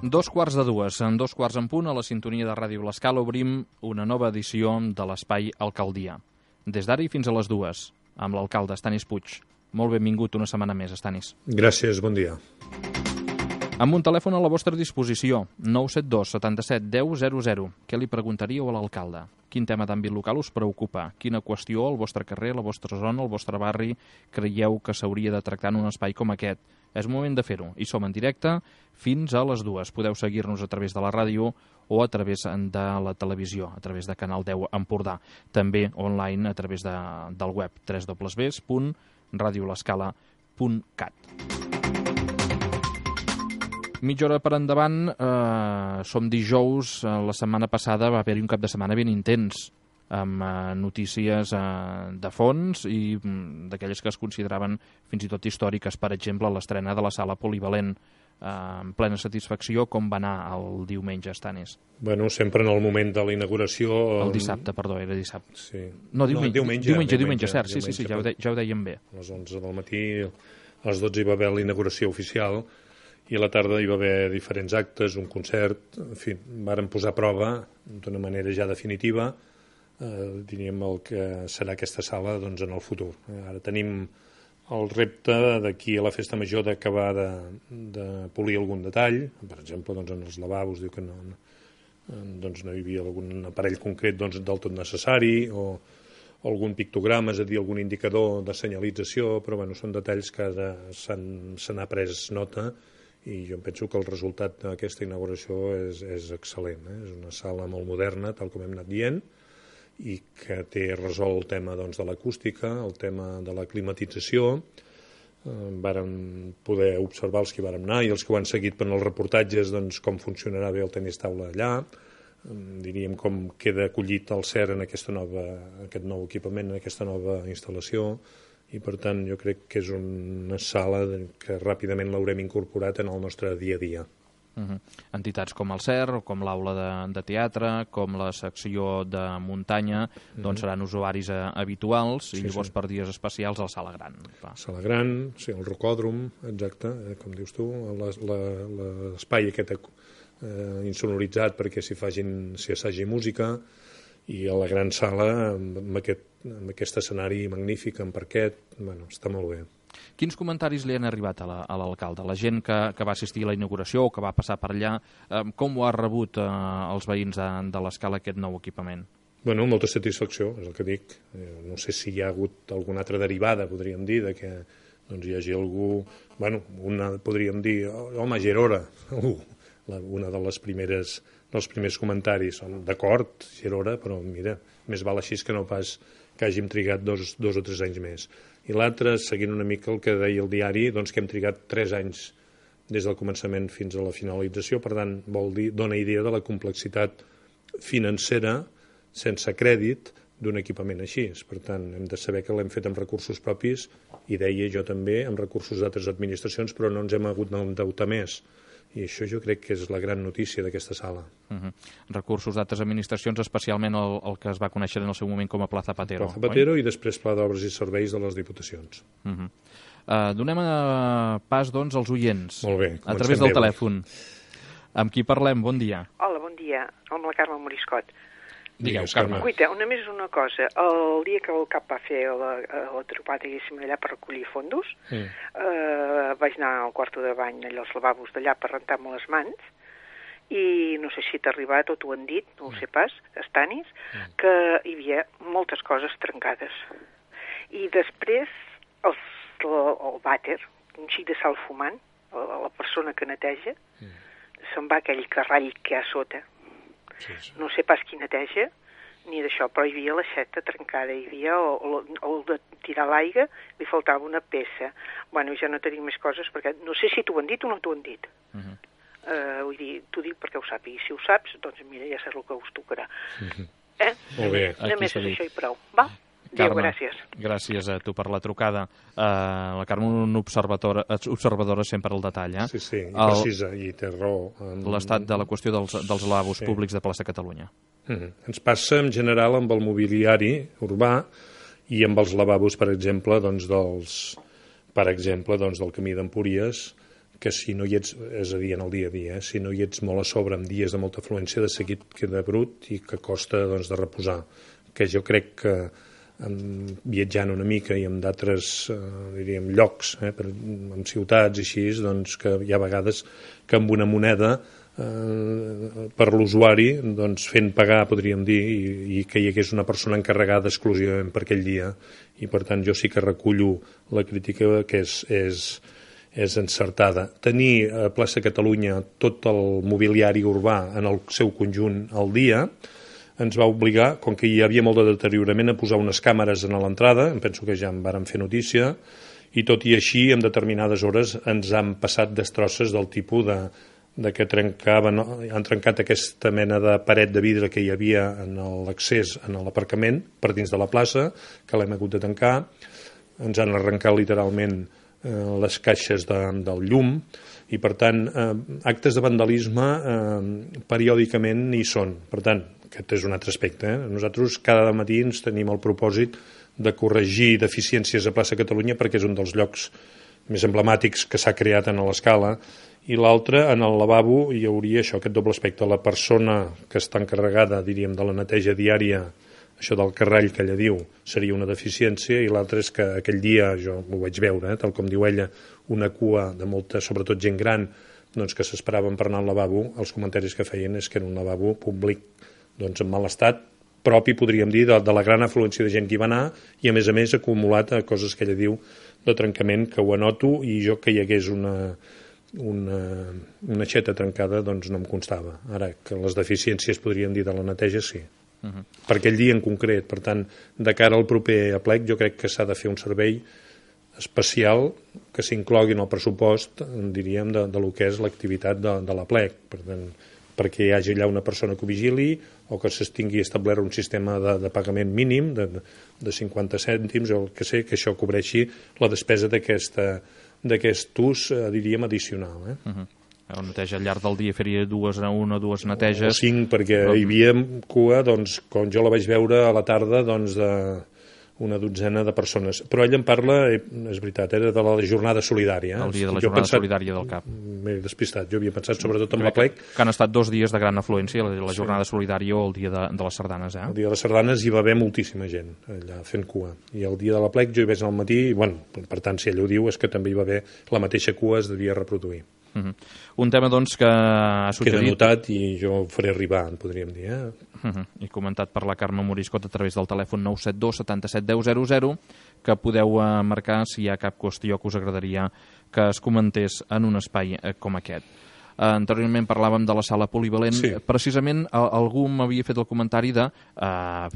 2:15, en 2:15 a la sintonia de Ràdio L'Escala obrim una nova edició de l'Espai Alcaldia. Des d'ara i fins a les 2, amb l'alcalde Estanis Puig. Molt benvingut una setmana més, Estanis. Gràcies, bon dia. Amb un telèfon a la vostra disposició, 972 77 10 00. Què li preguntaríeu a l'alcalde? Quin tema d'àmbit local us preocupa? Quina qüestió al vostre carrer, a la vostra zona, al vostre barri creieu que s'hauria de tractar en un espai com aquest? És moment de fer-ho. I som en directe fins a les 2. Podeu seguir-nos a través de la ràdio o a través de la televisió, a través de Canal 10 Empordà. També online a través del web www.radiolescala.cat. Mitja hora per endavant, som dijous, la setmana passada va haver-hi un cap de setmana ben intens, amb notícies de fons i d'aquelles que es consideraven fins i tot històriques. Per exemple, l'estrena de la sala polivalent, en plena satisfacció. Com va anar el diumenge, Estanis? Bueno, sempre en el moment de la inauguració... El dissabte, perdó, era dissabte. Sí. No, diumenge, cert, sí, ja ho dèiem bé. A les 11 del matí, a les 12 hi va haver la inauguració oficial i a la tarda hi va haver diferents actes, un concert, en fi, vàrem posar a prova d'una manera ja definitiva diríem el que serà aquesta sala doncs, en el futur. Ara tenim el repte d'aquí a la festa major d'acabar de polir algun detall, per exemple doncs, en els lavabos diu que no hi havia algun aparell concret doncs, del tot necessari o algun pictograma, és a dir, algun indicador de senyalització, però bueno, són detalls que ara se n'ha pres nota i jo penso que el resultat d'aquesta inauguració és excel·lent. És una sala molt moderna, tal com hem anat dient, i que té resolt el tema doncs, de l'acústica, el tema de la climatització. Vàrem poder observar els que vàrem anar i els que ho han seguit per els reportatges doncs, com funcionarà bé el tenis taula allà, diríem com queda acollit el CER en aquest nou equipament, en aquesta nova instal·lació, i per tant jo crec que és una sala que ràpidament l'haurem incorporat en el nostre dia a dia. Entitats com el CER, com l'aula de teatre, com la secció de muntanya, doncs seran usuaris habituals i llavors per dies especials a la sala gran. Sala gran, sí, el rocòdrom, exacte, com dius tu, l'espai aquest insonoritzat perquè s'hi assagi música, i a la gran sala amb aquest escenari magnífic, amb parquet, bueno, està molt bé. Quins comentaris li han arribat a l'alcalde? La gent que va assistir a la inauguració o que va passar per allà, com ho ha rebut els veïns de l'Escala aquest nou equipament? Bueno, molta satisfacció, és el que dic. No sé si hi ha hagut alguna altra derivada, podríem dir, de que doncs, hi hagi algú... Bueno, podríem dir, home, ja era hora. Una dels primers comentaris. D'acord, ja era hora, però mira, més val així que no pas que hàgim trigat dos o 3 anys més. I l'altre, seguint una mica el que deia el diari, doncs que hem trigat 3 anys des del començament fins a la finalització, per tant, vol dir, dona idea de la complexitat financera sense crèdit d'un equipament així. Per tant, hem de saber que l'hem fet amb recursos propis i deia jo també amb recursos d'altres administracions, però no ens hem hagut d'endeutar més. I això jo crec que és la gran notícia d'aquesta sala. Recursos d'altres administracions, especialment el que es va conèixer en el seu moment com a Pla Zapatero. Pla Zapatero i després Pla d'Obres i Serveis de les Diputacions. Donem pas, doncs, als oients. Molt bé. A través del telèfon. Amb qui parlem? Bon dia. Hola, bon dia. Amb la Carme Moriscot. Digueu, Carme. Cuita, només una cosa. El dia que el CAP va fer la trobada, diguéssim, allà per recollir fondos, vaig anar al quarto de bany, allà als lavabos d'allà, per rentar-me les mans, i no sé si t'ha arribat o t'ho han dit, no ho sé pas, Estanis, que hi havia moltes coses trencades. I després el vàter, un xic de sal fumant, la persona que neteja, se'n va aquell carrall que hi ha a sota. No sé pas qui neteja, ni d'això, però hi havia l'aixeta trencada, hi havia el de tirar l'aigua, li faltava una peça. Bueno, ja no tenim més coses, perquè no sé si t'ho han dit o no t'ho han dit. Vull dir, t'ho dic perquè ho sàpigui. Si ho saps, doncs mira, ja saps el que us tocarà. Molt bé. Només és això i prou. Va? Carme, gràcies. Gràcies a tu per la trucada. La Carme, una observadora sempre al detall. Sí, i precisa, i té raó. L'estat de la qüestió dels lavabos públics de Plaça Catalunya. Ens passa en general amb el mobiliari urbà i amb els lavabos, per exemple, del Camí d'Empúries, que si no hi ets, és a dir, en el dia a dia, si no hi ets molt a sobre en dies de molta afluència, de seguit queda brut i que costa doncs, de reposar. Que jo crec que viatjant una mica i en d'altres diríem llocs, en ciutats i així, doncs que hi ha vegades que amb una moneda per l'usuari doncs, fent pagar, podríem dir, i que hi hagués una persona encarregada exclusivament per aquell dia, i per tant jo sí que recullo la crítica que és encertada. Tenir a Plaça Catalunya tot el mobiliari urbà en el seu conjunt al dia ens va obligar, com que hi havia molt de deteriorament, a posar unes càmeres a l'entrada, em penso que ja en vàrem fer notícia, i tot i així, en determinades hores ens han passat destrosses del tipus de que han trencat aquesta mena de paret de vidre que hi havia en l'accés a l'aparcament per dins de la plaça, que l'hem hagut de tancar, ens han arrencat literalment les caixes del llum, i per tant actes de vandalisme periòdicament hi són. Per tant, aquest és un altre aspecte. Nosaltres cada matí ens tenim el propòsit de corregir deficiències a Plaça Catalunya perquè és un dels llocs més emblemàtics que s'ha creat en l'escala, i l'altre, en el lavabo, hi hauria això, aquest doble aspecte. La persona que està encarregada, diríem, de la neteja diària, això del carrall que ella diu, seria una deficiència, i l'altre és que aquell dia, jo ho vaig veure, tal com diu ella, una cua de molta, sobretot gent gran, doncs que s'esperaven per anar al lavabo, els comentaris que feien és que era un lavabo públic doncs, en mal estat, propi, podríem dir, de la gran afluència de gent que hi va anar, i a més acumulat a coses que ella diu de trencament, que ho anoto, i jo que hi hagués una aixeta trencada doncs no em constava. Ara, que les deficiències podríem dir de la neteja, sí. Per aquell dia en concret. Per tant, de cara al proper aplec, jo crec que s'ha de fer un servei especial que s'inclogui en el pressupost, diríem, de lo que és l'activitat de l'aplec. Per tant, perquè hi hagi allà una persona que ho vigili o que s'estingui establert un sistema de pagament mínim de 50 cèntims o el que sé, que això cobreixi la despesa d'aquest ús, diríem, addicional. La neteja al llarg del dia faria una o dues neteges. O 5, perquè hi havia cua, doncs, com jo la vaig veure a la tarda, doncs, una dotzena de persones. Però ell en parla, és veritat, era de la jornada solidària. El dia de la jornada solidària del CAP. M'he despistat, jo havia pensat sobretot en l'aplec. Que han estat 2 dies de gran afluència, la jornada solidària o el dia de les sardanes. El dia de les sardanes hi va haver moltíssima gent allà fent cua. I el dia de l'aplec jo hi vaig anar al matí, i bueno, per tant, si ell ho diu, és que també hi va haver la mateixa cua, es devia reproduir. Un tema, doncs, que ha suggerit... Queda notat i jo ho faré arribar, podríem dir. I comentat per la Carme Moriscot a través del telèfon 972 77 10 00, que podeu marcar si hi ha cap qüestió que us agradaria que es comentés en un espai com aquest. Anteriorment parlàvem de la sala polivalent. Sí. Precisament algú m'havia fet el comentari de...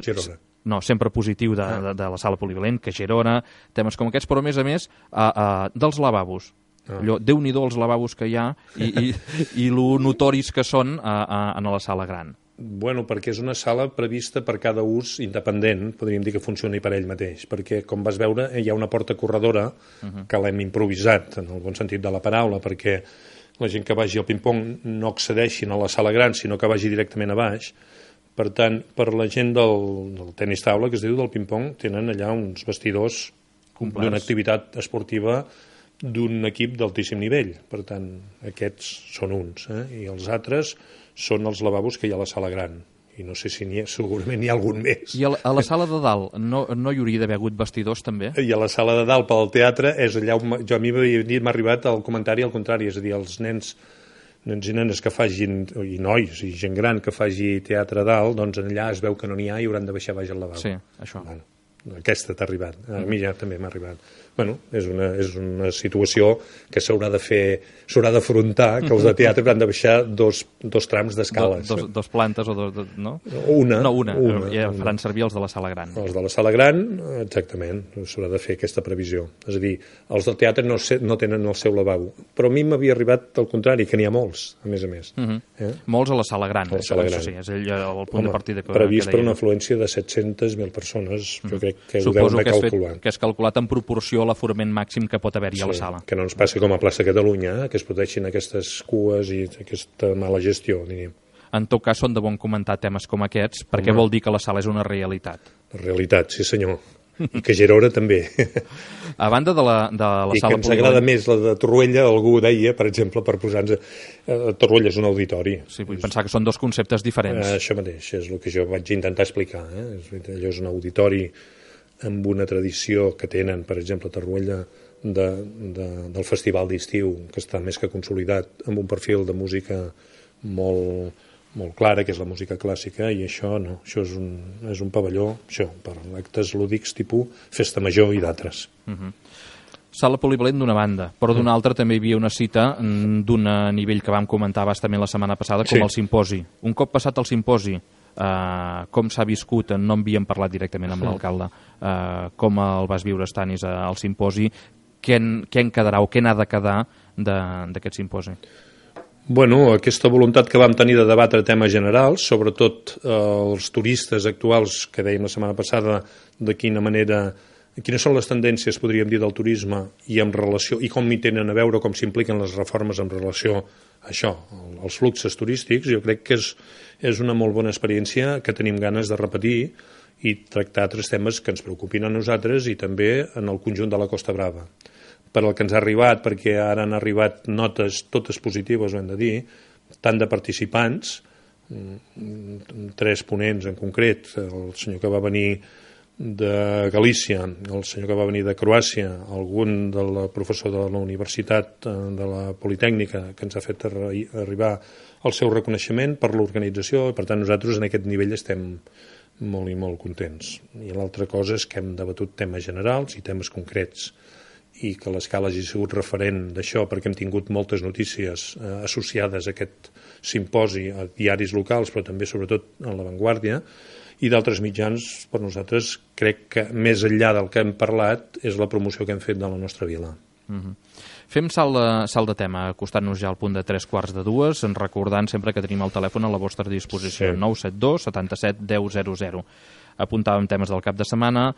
Girona. No, sempre positiu de la sala polivalent, que Girona, temes com aquests, però a més dels lavabos. Déu-n'hi-do els lavabos que hi ha i lo notoris que són a la sala gran. Bueno, perquè és una sala prevista per cada ús independent, podríem dir que funcioni per ell mateix, perquè, com vas veure, hi ha una porta corredora que l'hem improvisat, en el bon sentit de la paraula, perquè la gent que vagi al ping-pong no accedeixin a la sala gran, sinó que vagi directament a baix. Per tant, per la gent del tenis taula, que es diu del ping-pong, tenen allà uns vestidors d'una activitat esportiva d'un equip d'altíssim nivell. Per tant, aquests són uns, i els altres són els lavabos que hi ha a la sala gran. I no sé si segurament n'hi ha algun més. I a la sala de dalt no hi hauria d'haver hagut vestidors, també? I a la sala de dalt, pel teatre, és allà on a mi m'ha arribat el comentari al contrari, és a dir, els nens i nenes que fagin, i nois, i gent gran que faci teatre a dalt, doncs allà es veu que no n'hi ha i hauran de baixar baix al lavabo. Sí, això. Bueno, aquesta t'ha arribat. A mi ja també m'ha arribat. Bueno, és una situació que s'haurà d'afrontar, que els de teatre hauran de baixar dos trams d'escales. Dos plantes o no? Una. Ja faran servir els de la sala gran. Els de la sala gran, exactament, s'haurà de fer aquesta previsió. És a dir, els del teatre no tenen el seu lavabo. Però a mi m'havia arribat al contrari, que n'hi ha molts, a més. Molts a la sala gran. A la sala gran. Sí, és el punt de partida que previst per una afluència de 700.000 persones, jo crec que ho deuen de calcular. Que és calculat en proporció a l'aforament màxim que pot haver-hi a la sala. Que no ens passi com a Plaça Catalunya, que es pateixin aquestes cues i aquesta mala gestió, diríem. En tot cas, són de bon comentar temes com aquests, perquè vol dir que la sala és una realitat. La realitat, sí senyor. I que Gerona també. A banda de la sala I que ens agrada més la de Torroella, algú deia, per exemple, per posar-nos... Torroella és un auditori. Sí, vull pensar que són dos conceptes diferents. Això mateix, és el que jo vaig intentar explicar. Allò és un auditori amb una tradició que tenen, per exemple, a Torroella, del festival d'estiu, que està més que consolidat, amb un perfil de música molt clara, que és la música clàssica, i això no, això és un pavelló per actes lúdics tipus festa major i d'altres. Sala polivalent d'una banda, però d'una altra també hi havia una cita d'un nivell que vam comentar bastament la setmana passada, com el simposi. Un cop passat el simposi, com s'ha viscut, no havíem parlat directament amb l'alcalde, com el vas viure, Stanis, al simposi, què en quedarà o què n'ha de quedar d'aquest simposi? Bueno, aquesta voluntat que vam tenir de debatre temes generals, sobretot els turistes actuals, que dèiem la setmana passada, de quines són les tendències, podríem dir, del turisme i en relació, i com hi tenen a veure, com s'impliquen les reformes en relació a això, als fluxos turístics. Jo crec que és una molt bona experiència que tenim ganes de repetir i tractar altres temes que ens preocupin a nosaltres i també en el conjunt de la Costa Brava. Per al que ens ha arribat, perquè ara han arribat notes totes positives, ho hem de dir, tant de participants, 3 ponents en concret, el senyor que va venir de Galícia, el senyor que va venir de Croàcia, algun del professor de la Universitat de la Politècnica, que ens ha fet arribar el seu reconeixement per l'organització, i per tant nosaltres en aquest nivell estem molt i molt contents. I l'altra cosa és que hem debatut temes generals i temes concrets, i que l'Escala hagi sigut referent d'això, perquè hem tingut moltes notícies associades a aquest simposi a diaris locals, però també sobretot a La Vanguardia, i d'altres mitjans, per nosaltres, crec que més enllà del que hem parlat és la promoció que hem fet de la nostra vila. Fem salt de tema, acostant-nos ja al punt de 3:45, recordant sempre que tenim el telèfon a la vostra disposició, 972 77 10 00. Apuntàvem temes del cap de setmana,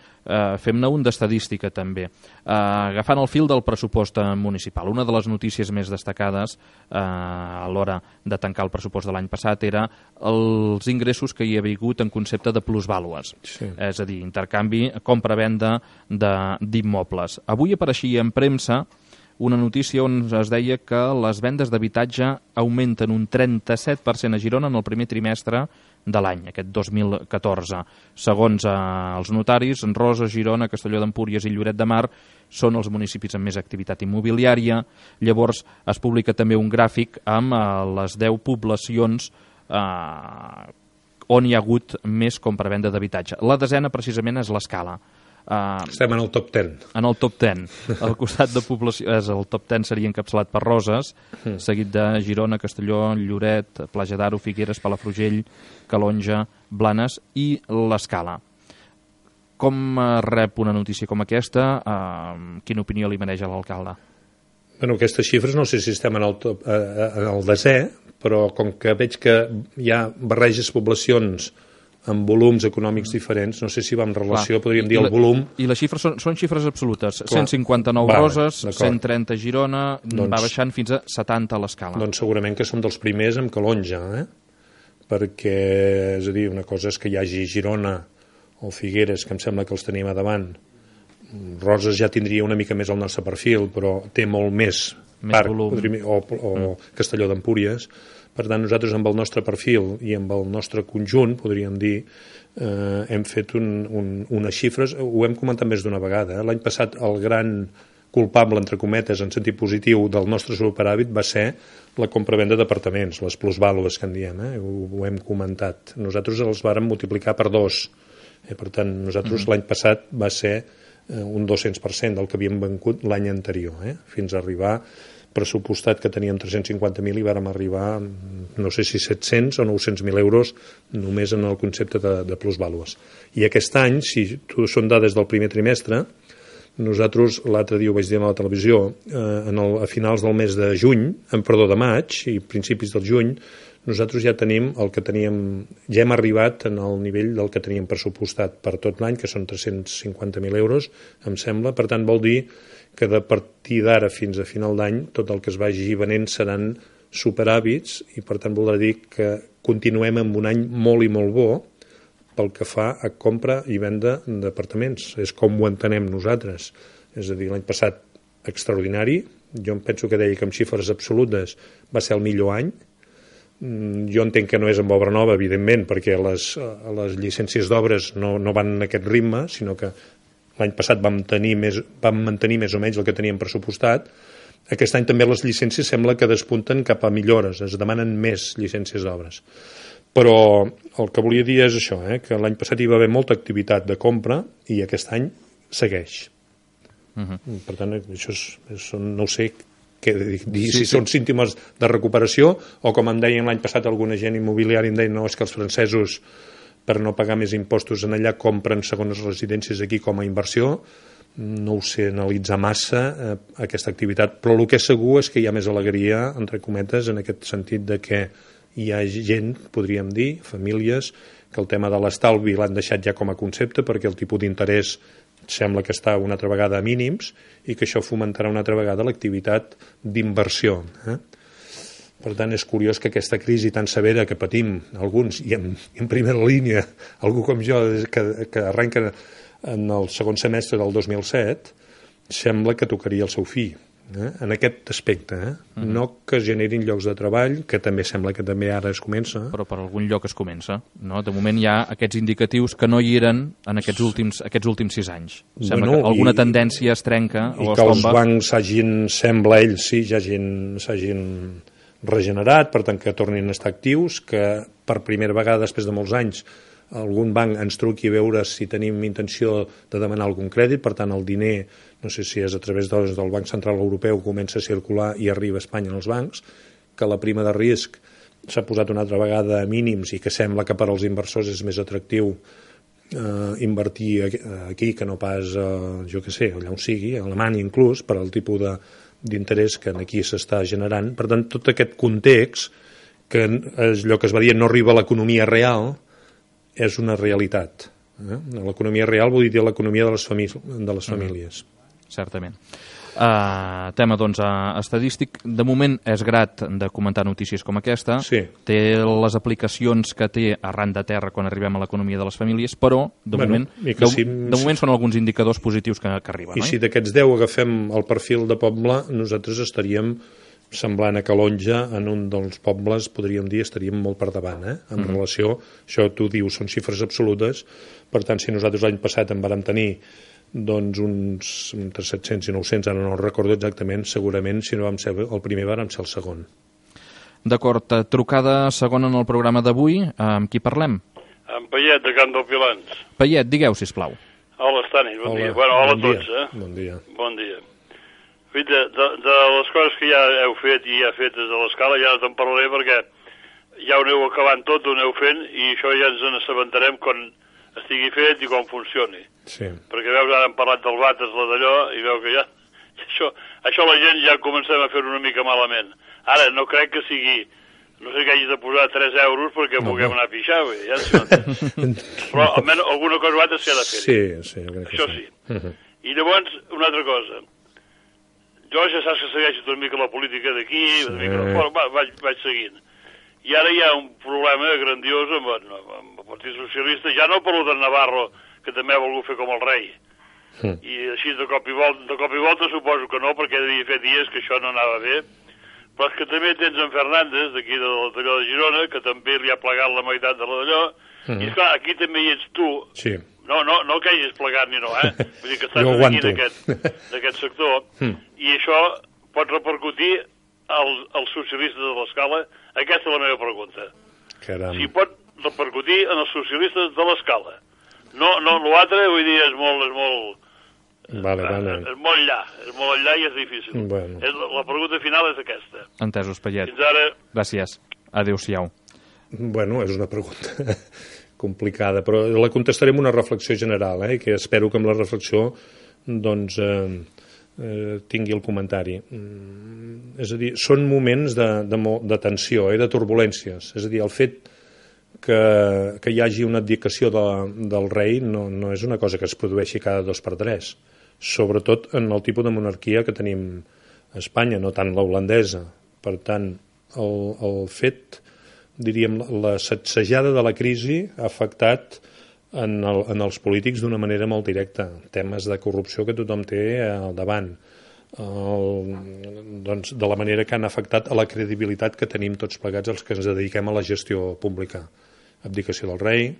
fem-ne un d'estadística també. Agafant el fil del pressupost municipal, una de les notícies més destacades a l'hora de tancar el pressupost de l'any passat era els ingressos que hi havia hagut en concepte de plusvàlues, és a dir, intercanvi, compra-venda d'immobles. Avui apareixia en premsa una notícia on es deia que les vendes d'habitatge augmenten un 37% a Girona en el primer trimestre de l'any, aquest 2014. Segons els notaris, Roses, Girona, Castelló d'Empúries i Lloret de Mar són els municipis amb més activitat immobiliària. Llavors es publica també un gràfic amb les 10 poblacions on hi ha hagut més compra-venda d'habitatge. La desena precisament és l'Escala. Estem en el top 10. En el top 10. Al costat de població, el top 10 seria encapçalat per Roses, seguit de Girona, Castelló, Lloret, Platja d'Aro, Figueres, Palafrugell, Calonja, Blanes i l'Escala. Com rep una notícia com aquesta? Quina opinió li mereix a l'alcalde? Bueno, aquestes xifres no sé si estem en el desè, però com que veig que hi ha barreges poblacions amb volums econòmics diferents, no sé si va en relació, podríem dir el volum... I les xifres són xifres absolutes. 159 Roses, 130 Girona, va baixant fins a 70 a l'Escala. Doncs segurament que som dels primers amb Calonja, perquè, és a dir, una cosa és que hi hagi Girona o Figueres, que em sembla que els tenim a davant. Roses ja tindria una mica més el nostre perfil, però té molt més parc, o Castelló d'Empúries. Per tant, nosaltres amb el nostre perfil i amb el nostre conjunt, podríem dir, hem fet unes xifres, ho hem comentat més d'una vegada. L'any passat el gran culpable, entre cometes, en sentit positiu del nostre superàvit va ser la compravenda d'apartaments, les plusvàlues que en diem, ho hem comentat. Nosaltres els vàrem multiplicar per 2. Per tant, nosaltres l'any passat va ser un 200% del que havíem venut l'any anterior, fins a arribar pressupostat que teníem 350.000 i vàrem arribar, no sé si 700 o 900.000 euros només en el concepte de plusvàlues. I aquest any, si són dades del primer trimestre, nosaltres l'altre dia ho vaig dir a la televisió, a finals del mes de de maig i principis del juny, nosaltres ja tenim el que teníem, ja hem arribat en el nivell del que teníem pressupostat per tot l'any, que són 350.000 euros, em sembla. Per tant, vol dir que de partir d'ara fins a final d'any tot el que es vagi venent seran superàvits i per tant voldrà dir que continuem amb un any molt i molt bo, pel que fa a compra i venda d'apartaments. És com ho entenem nosaltres. És a dir, l'any passat extraordinari, jo em penso que deia que amb xifres absolutes va ser el millor any. Jo entenc que no és amb obra nova, evidentment, perquè les llicències d'obres no van en aquest ritme, sinó que l'any passat vam mantenir més o menys el que teníem pressupostat. Aquest any també les llicències sembla que despunten cap a millores, es demanen més llicències d'obres. Però el que volia dir és això, que l'any passat hi va haver molta activitat de compra i aquest any segueix. Per tant, això no ho sé si són símptomes de recuperació o, com em deien l'any passat algun agent immobiliari, em deien no, és que els francesos, per no pagar més impostos en allà, compren segones residències aquí com a inversió. No ho sé analitzar massa aquesta activitat, però el que és segur és que hi ha més alegria, entre cometes, en aquest sentit de que hi ha gent, podríem dir, famílies, que el tema de l'estalvi l'han deixat ja com a concepte perquè el tipus d'interès sembla que està una altra vegada a mínims i que això fomentarà una altra vegada l'activitat d'inversió. Per tant, és curiós que aquesta crisi tan severa que patim alguns, i en primera línia algú com jo, que arrenca en el segon semestre del 2007, sembla que tocaria el seu fi. En aquest aspecte, no que es generin llocs de treball, que també sembla que també ara es comença. Però per algun lloc es comença, no? De moment hi ha aquests indicatius que no hi eren en aquests últims 6 anys. Sembla que alguna tendència es trenca o es tomba. I que els bancs sembla ells, ja s'hagin regenerat, per tant que tornin a estar actius, que per primera vegada després de molts anys algun banc ens truqui a veure si tenim intenció de demanar algun crèdit, per tant el diner, no sé si és a través del Banc Central Europeu, comença a circular i arriba a Espanya en els bancs, que la prima de risc s'ha posat una altra vegada a mínims i que sembla que per als inversors és més atractiu invertir aquí que no pas, jo què sé, allà on sigui, a Alemanya inclús, per al tipus d'interès que aquí s'està generant. Per tant, tot aquest context, que és allò que es va dir, no arriba a l'economia real, és una realitat. L'economia real vol dir l'economia de les famílies. Certament. Tema, doncs, estadístic. De moment és grat de comentar notícies com aquesta. Sí. Té les aplicacions que té arran de terra quan arribem a l'economia de les famílies, però de moment són alguns indicadors positius que arriben. I si d'aquests 10 agafem el perfil de poble, nosaltres estaríem semblant a Calonja, en un dels pobles, podríem dir, estaríem molt per davant, en relació, això tu dius, són xifres absolutes, per tant, si nosaltres l'any passat en vàrem tenir doncs uns entre 700 i 900, ara no el recordo exactament, segurament, si no vam ser el primer, vàrem ser el segon. D'acord, trucada segona en el programa d'avui, amb qui parlem? Amb Payet, de Camp del Pilans. Payet, digueu, sisplau. Hola, Stanis, bon dia. Bueno, hola a tots, Bon dia. Bon dia. De les coses que ja heu fet i ja fetes a l'escala, ja no te'n parlaré perquè ja ho aneu acabant tot, ho aneu fent i això ja ens n'assabentarem quan estigui fet i com funcioni. Sí. Perquè veus, ara hem parlat del vàters, la d'allò, i veu que ja... Això la gent ja comencem a fer una mica malament. Ara, no crec que sigui... No sé que hagis de posar 3 euros perquè puguem anar a pixar, ja però almenys alguna cosa o altra s'ha de fer. Sí, això sí. I llavors, una altra cosa. Jo ja saps que segueixo una mica la política d'aquí, una mica de fora, vaig seguint. I ara hi ha un problema grandiós amb el Partit Socialista, ja no per lo de Navarro, que també ha volgut fer com el rei. I així de cop i volta suposo que no, perquè devia fer dies que això no anava bé. Però és que també tens en Fernández, d'aquí d'allò de Girona, que també li ha plegat la meitat de d'allò, i esclar, aquí també hi ets tu. Sí. No que hagis plegat ni no, Vull dir que estàs aquí d'aquest sector, i això pot repercutir als socialistes de l'escala? Aquesta és la meva pregunta. Caram. Si pot repercutir en els socialistes de l'escala. No, l'altre, vull dir, és molt... Vale. És molt enllà i és difícil. Bueno. La pregunta final és aquesta. Entesos, Payet. Fins ara. Gràcies. Adéu-siau. Bueno, és una pregunta complicada, però la contestaré amb una reflexió general, que espero que amb la reflexió doncs tingui el comentari. És a dir, són moments de tensió, de turbulències. És a dir, el fet que hi hagi una abdicació del rei no és una cosa que es produeixi cada 2 per 3, sobretot en el tipus de monarquia que tenim a Espanya, no tant la holandesa. Per tant, el fet, diríem, la sacsejada de la crisi ha afectat en els polítics d'una manera molt directa. Temes de corrupció que tothom té al davant. Doncs de la manera que han afectat a la credibilitat que tenim tots plegats els que ens dediquem a la gestió pública. Abdicació del rei.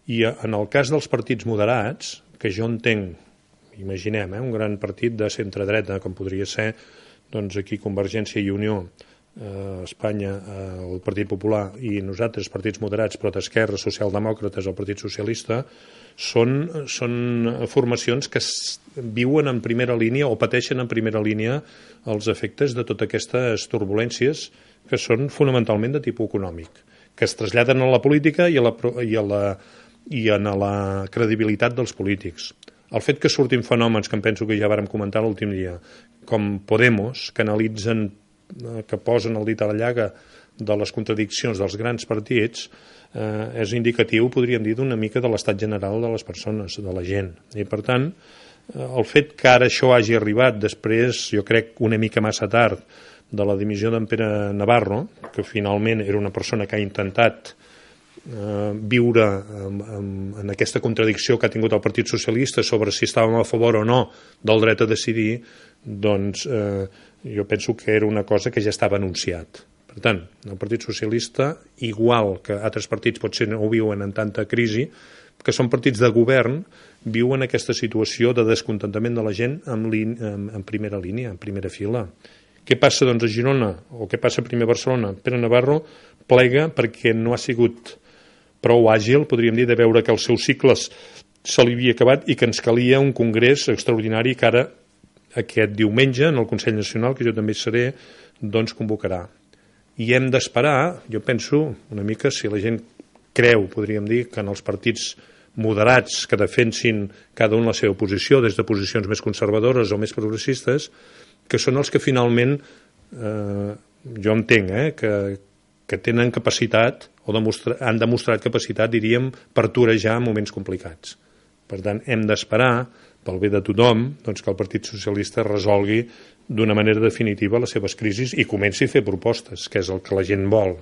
I en el cas dels partits moderats, que jo entenc, imaginem, un gran partit de centre-dreta, com podria ser doncs aquí Convergència i Unió, Espanya, el Partit Popular, i nosaltres, partits moderats, però d'esquerra, socialdemòcrates, el Partit Socialista, són formacions que viuen en primera línia o pateixen en primera línia els efectes de totes aquestes turbulències que són fonamentalment de tipus econòmic, que es traslladen a la política i a la credibilitat dels polítics. El fet que surtin fenòmens que em penso que ja vàrem comentar l'últim dia, com Podemos, que posen el dit a la llaga de les contradiccions dels grans partits, és indicatiu, podríem dir, d'una mica de l'estat general de les persones, de la gent. I, per tant, el fet que ara això hagi arribat després, jo crec, una mica massa tard, de la dimissió d'en Pere Navarro, que finalment era una persona que ha intentat viure en aquesta contradicció que ha tingut el Partit Socialista sobre si estàvem a favor o no del dret a decidir, doncs jo penso que era una cosa que ja estava anunciat. Per tant, el Partit Socialista, igual que altres partits potser no ho viuen en tanta crisi, que són partits de govern, viuen aquesta situació de descontentament de la gent en primera línia, en primera fila. Què passa doncs a Girona, o què passa primer a Barcelona? Pere Navarro plega perquè no ha sigut prou àgil, podríem dir, de veure que els seus cicles se li havia acabat i que ens calia un congrés extraordinari que ara aquest diumenge en el Consell Nacional, que jo també hi seré, doncs convocarà. I hem d'esperar, jo penso, una mica, si la gent creu, podríem dir, que en els partits moderats que defensin cada un la seva posició, des de posicions més conservadores o més progressistes, que són els que finalment, jo entenc, que tenen capacitat, o han demostrat capacitat, diríem, per torejar moments complicats. Per tant, hem d'esperar, pel bé de tothom, doncs que el Partit Socialista resolgui d'una manera definitiva les seves crisis i comenci a fer propostes, que és el que la gent vol.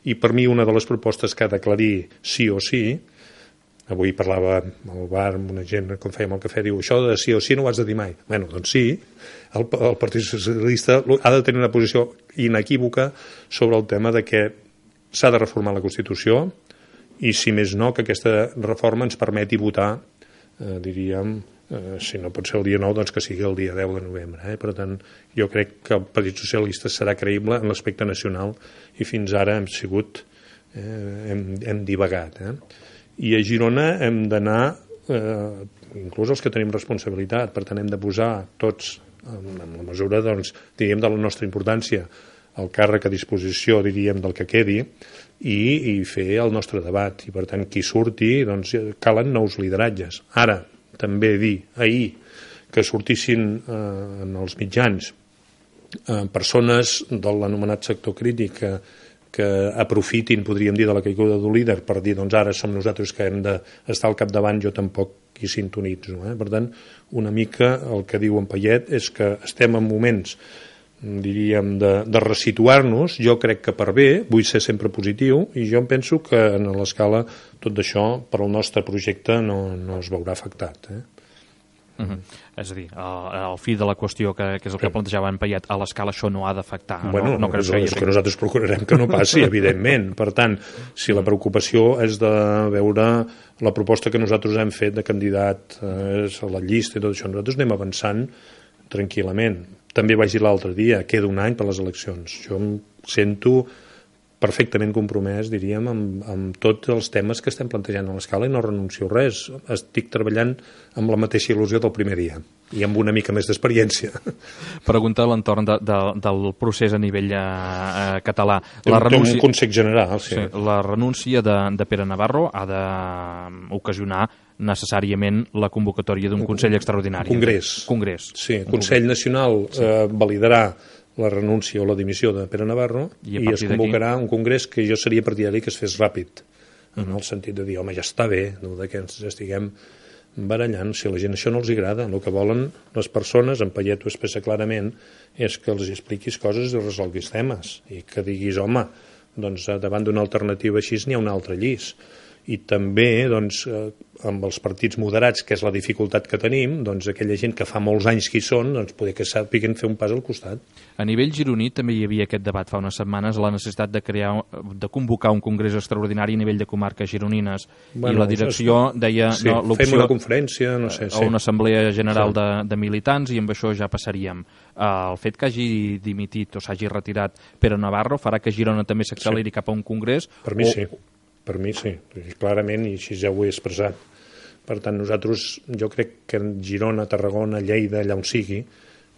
I per mi una de les propostes que ha d'aclarir sí o sí, avui parlava al bar amb una gent, com fèiem el cafè, diu, això de sí o sí no ho has de dir mai. Bé, doncs sí, el Partit Socialista ha de tenir una posició inequívoca sobre el tema de que s'ha de reformar la Constitució i, si més no, que aquesta reforma ens permeti votar, diríem, si no pot ser el dia 9, doncs que sigui el dia 10 de novembre. Per tant, jo crec que el Partit Socialista serà creïble en l'aspecte nacional i fins ara hem divagat. I a Girona hem d'anar, inclús els que tenim responsabilitat, per tant hem de posar tots, en la mesura, doncs, diríem, de la nostra importància, el càrrec a disposició, diríem, del que quedi, i fer el nostre debat. I, per tant, qui surti, doncs, calen nous lideratges. Ara, també dir, ahir, que sortissin en els mitjans persones de l'anomenat sector crític que aprofitin, podríem dir, de la caiguda d'un líder per dir, doncs ara som nosaltres que hem d'estar al capdavant, jo tampoc hi sintonitzo. Per tant, una mica el que diu en Payet és que estem en moments, diríem, de resituar-nos. Jo crec que per bé, vull ser sempre positiu, i jo em penso que en l'escala tot això per al nostre projecte no es veurà afectat. És a dir, al fi de la qüestió, que és el que plantejava en Payet, a l'escala això no ha d'afectar. Bueno, és que nosaltres procurarem que no passi, evidentment. Per tant, si la preocupació és de veure la proposta que nosaltres hem fet de candidat a la llista i tot això, nosaltres anem avançant tranquil·lament. També vaig dir l'altre dia, queda un any per les eleccions. Jo em sento perfectament compromès, diríem, amb tots els temes que estem plantejant a l'escala i no renuncio a res. Estic treballant amb la mateixa il·lusió del primer dia i amb una mica més d'experiència. Pregunta a l'entorn del procés a nivell català. Un context general, sí. La renúncia de Pere Navarro ha d'ocasionar necessàriament la convocatòria d'un Consell extraordinari. Congrés. Sí, el Consell Nacional validarà la renúncia o la dimissió de Pere Navarro i es convocarà un congrés que jo seria partidari que es fes ràpid, en el sentit de dir, home, ja està bé, no, que ens estiguem barallant. Si a la gent això no els agrada, el que volen les persones, en Payet ho expressa clarament, és que els expliquis coses i resolguis temes, i que diguis, home, doncs davant d'una alternativa així n'hi ha un altre llis. i també doncs, amb els partits moderats, que és la dificultat que tenim, doncs aquella gent que fa molts anys que hi són, doncs poder que sàpiguen fer un pas al costat. A nivell gironí també hi havia aquest debat fa unes setmanes, la necessitat de convocar un congrés extraordinari a nivell de comarques gironines, i la direcció deia... Sí, fem una conferència, no sé. O una assemblea general de militants, i amb això ja passaríem. El fet que hagi dimitit o s'hagi retirat Pere Navarro farà que Girona també s'acceleri cap a un congrés? Per mi sí. Per mi sí, clarament, i així ja ho he expressat. Per tant, nosaltres, jo crec que en Girona, Tarragona, Lleida, allà on sigui,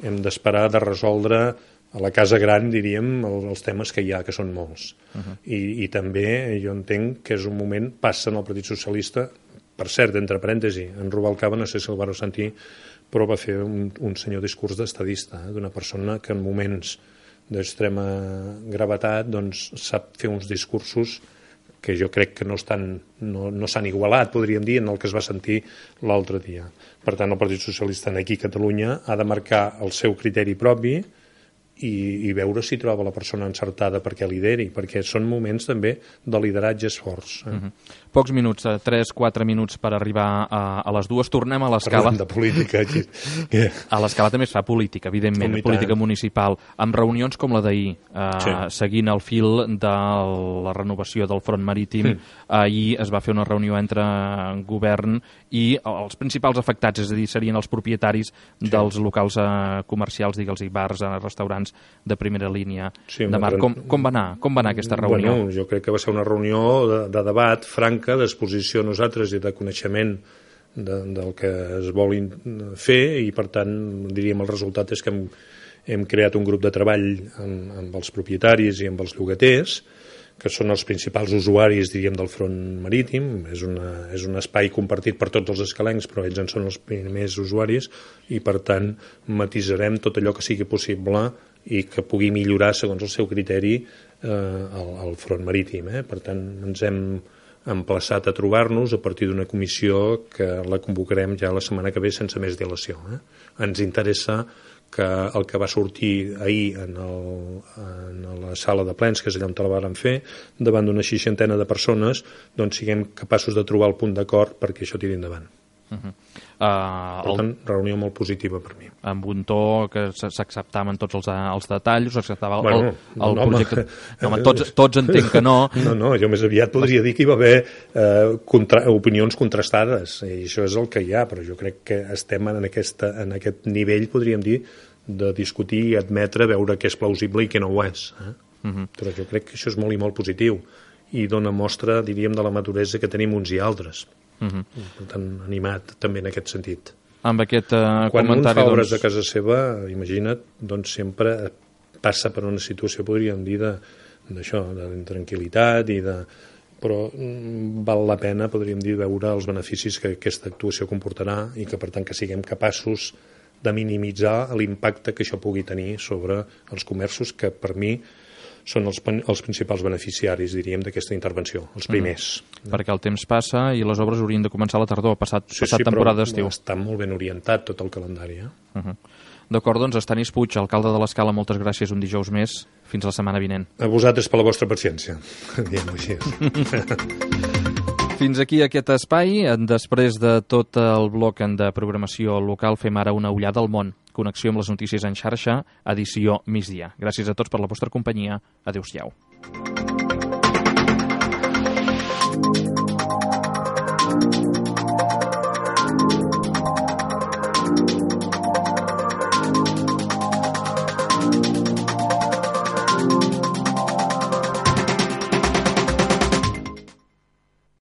hem d'esperar de resoldre a la casa gran, diríem, els temes que hi ha, que són molts. I també jo entenc que és un moment, passa en el Partit Socialista, per cert, entre parèntesi, en Rubalcaba, no sé si el vareu sentir, però va fer un senyor discurs d'estadista, d'una persona que en moments d'extrema gravetat doncs, sap fer uns discursos que jo crec que no s'han igualat, podríem dir, en el que es va sentir l'altre dia. Per tant, el Partit Socialista aquí a Catalunya ha de marcar el seu criteri propi i veure si troba la persona encertada perquè lideri, perquè són moments també de lideratges forts. Pocs minuts, 3-4 minuts per arribar a les 2. Tornem a l'escala. Parlem de política aquí. A l'escala també es fa política, evidentment, política municipal, amb reunions com la d'ahir, seguint el fil de la renovació del front marítim. Ahir es va fer una reunió entre govern i els principals afectats, és a dir, serien els propietaris dels locals comercials, digue'ls-hi, bars, restaurants de primera línia de mar. Com va anar aquesta reunió? Bueno, jo crec que va ser una reunió de debat franca, d'exposició a nosaltres i de coneixement del que es vol fer, i per tant, diríem, el resultat és que hem creat un grup de treball amb els propietaris i amb els llogaters, que són els principals usuaris, diríem, del front marítim. És un espai compartit per tots els escalencs, però ells en són els primers usuaris, i per tant matisarem tot allò que sigui possible i que pugui millorar, segons el seu criteri, el front marítim. Per tant, ens hem emplaçat a trobar-nos a partir d'una comissió que la convocarem ja la setmana que ve sense més dilació. Ens interessa que el que va sortir ahir en la sala de plens, que és allà on la vàrem fer, davant d'una 60 de persones, doncs siguem capaços de trobar el punt d'acord perquè això tiri endavant. Per tant, reunió molt positiva per mi. Amb un to que s'acceptaven tots els detalls, s'acceptava el projecte... Home, tots entenc que no. No, jo més aviat podria dir que hi va haver opinions contrastades, i això és el que hi ha, però jo crec que estem en aquest nivell, podríem dir, de discutir i admetre, veure què és plausible i què no ho és. Però jo crec que això és molt i molt positiu i dona mostra, diríem, de la maduresa que tenim uns i altres. Per tant, animat també en aquest sentit. Amb aquest quan un fa obres a casa seva, imagina't, doncs sempre passa per una situació, podríem dir, d'això, d'intranquil·litat però val la pena, podríem dir, veure els beneficis que aquesta actuació comportarà i que, per tant, que siguem capaços de minimitzar l'impacte que això pugui tenir sobre els comerços, que per mi són els principals beneficiaris, diríem, d'aquesta intervenció, els primers. Perquè el temps passa i les obres haurien de començar a la tardor, passat temporada d'estiu. Està molt ben orientat tot el calendari. D'acord, doncs, Estanis Puig, alcalde de l'Escala, moltes gràcies un dijous més. Fins la setmana vinent. A vosaltres per la vostra paciència. Diem-ho així. Fins aquí aquest espai. Després de tot el bloc de programació local, fem ara una ullada al món. Connexió amb les notícies en xarxa, edició migdia. Gràcies a tots per la vostra companyia. Adéu-siau.